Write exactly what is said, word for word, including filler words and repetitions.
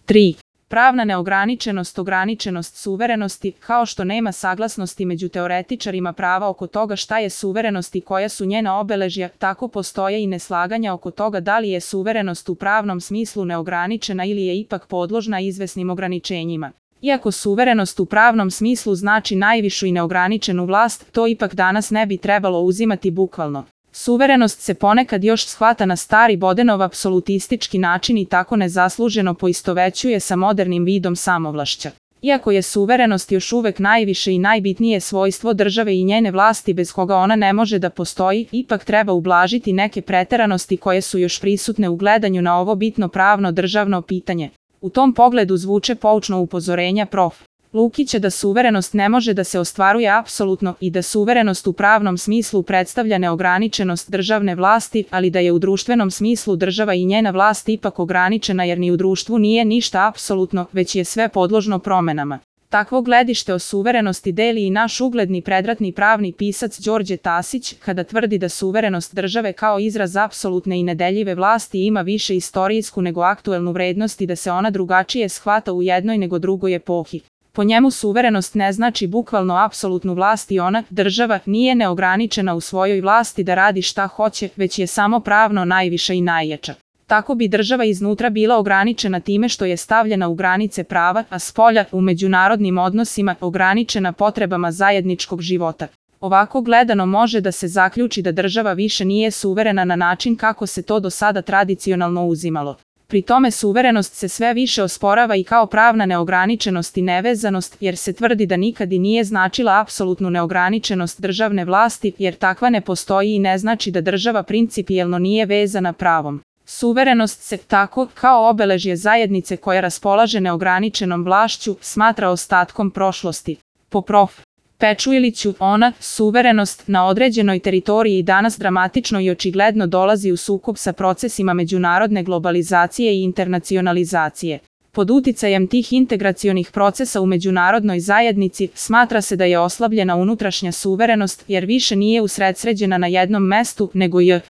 tri. Pravna neograničenost, ograničenost suverenosti, kao što nema saglasnosti među teoretičarima prava oko toga šta je suverenost i koja su njena obeležja, tako postoje i neslaganja oko toga da li je suverenost u pravnom smislu neograničena ili je ipak podložna izvesnim ograničenjima. Iako suverenost u pravnom smislu znači najvišu i neograničenu vlast, to ipak danas ne bi trebalo uzimati bukvalno. Suverenost se ponekad još shvata na stari Bodenov apsolutistički način i tako nezasluženo poistovećuje sa modernim vidom samovlašća. Iako je suverenost još uvek najviše i najbitnije svojstvo države i njene vlasti bez koga ona ne može da postoji, ipak treba ublažiti neke preteranosti koje su još prisutne u gledanju na ovo bitno pravno državno pitanje. U tom pogledu zvuče poučno upozorenja prof. Lukića da suverenost ne može da se ostvaruje apsolutno i da suverenost u pravnom smislu predstavlja neograničenost državne vlasti, ali da je u društvenom smislu država i njena vlast ipak ograničena jer ni u društvu nije ništa apsolutno, već je sve podložno promenama. Takvo gledište o suverenosti deli i naš ugledni predratni pravni pisac Đorđe Tasić, kada tvrdi da suverenost države kao izraz apsolutne i nedeljive vlasti ima više istorijsku nego aktuelnu vrednost i da se ona drugačije shvata u jednoj nego drugoj epohi. Po njemu suverenost ne znači bukvalno apsolutnu vlast i ona, država, nije neograničena u svojoj vlasti da radi šta hoće, već je samo pravno najviša i najjača. Tako bi država iznutra bila ograničena time što je stavljena u granice prava, a spolja, u međunarodnim odnosima, ograničena potrebama zajedničkog života. Ovako gledano može da se zaključi da država više nije suverena na način kako se to do sada tradicionalno uzimalo. Pri tome suverenost se sve više osporava i kao pravna neograničenost i nevezanost, jer se tvrdi da nikad i nije značila apsolutnu neograničenost državne vlasti, jer takva ne postoji i ne znači da država principijelno nije vezana pravom. Suverenost se tako, kao obeležje zajednice koja raspolaže neograničenom vlašću, smatra ostatkom prošlosti. Po prof. Pečuiliću, ona, suverenost, na određenoj teritoriji danas dramatično i očigledno dolazi u sukob sa procesima međunarodne globalizacije i internacionalizacije. Pod uticajem tih integracionih procesa u međunarodnoj zajednici, smatra se da je oslabljena unutrašnja suverenost, jer više nije usredsređena na jednom mestu, nego je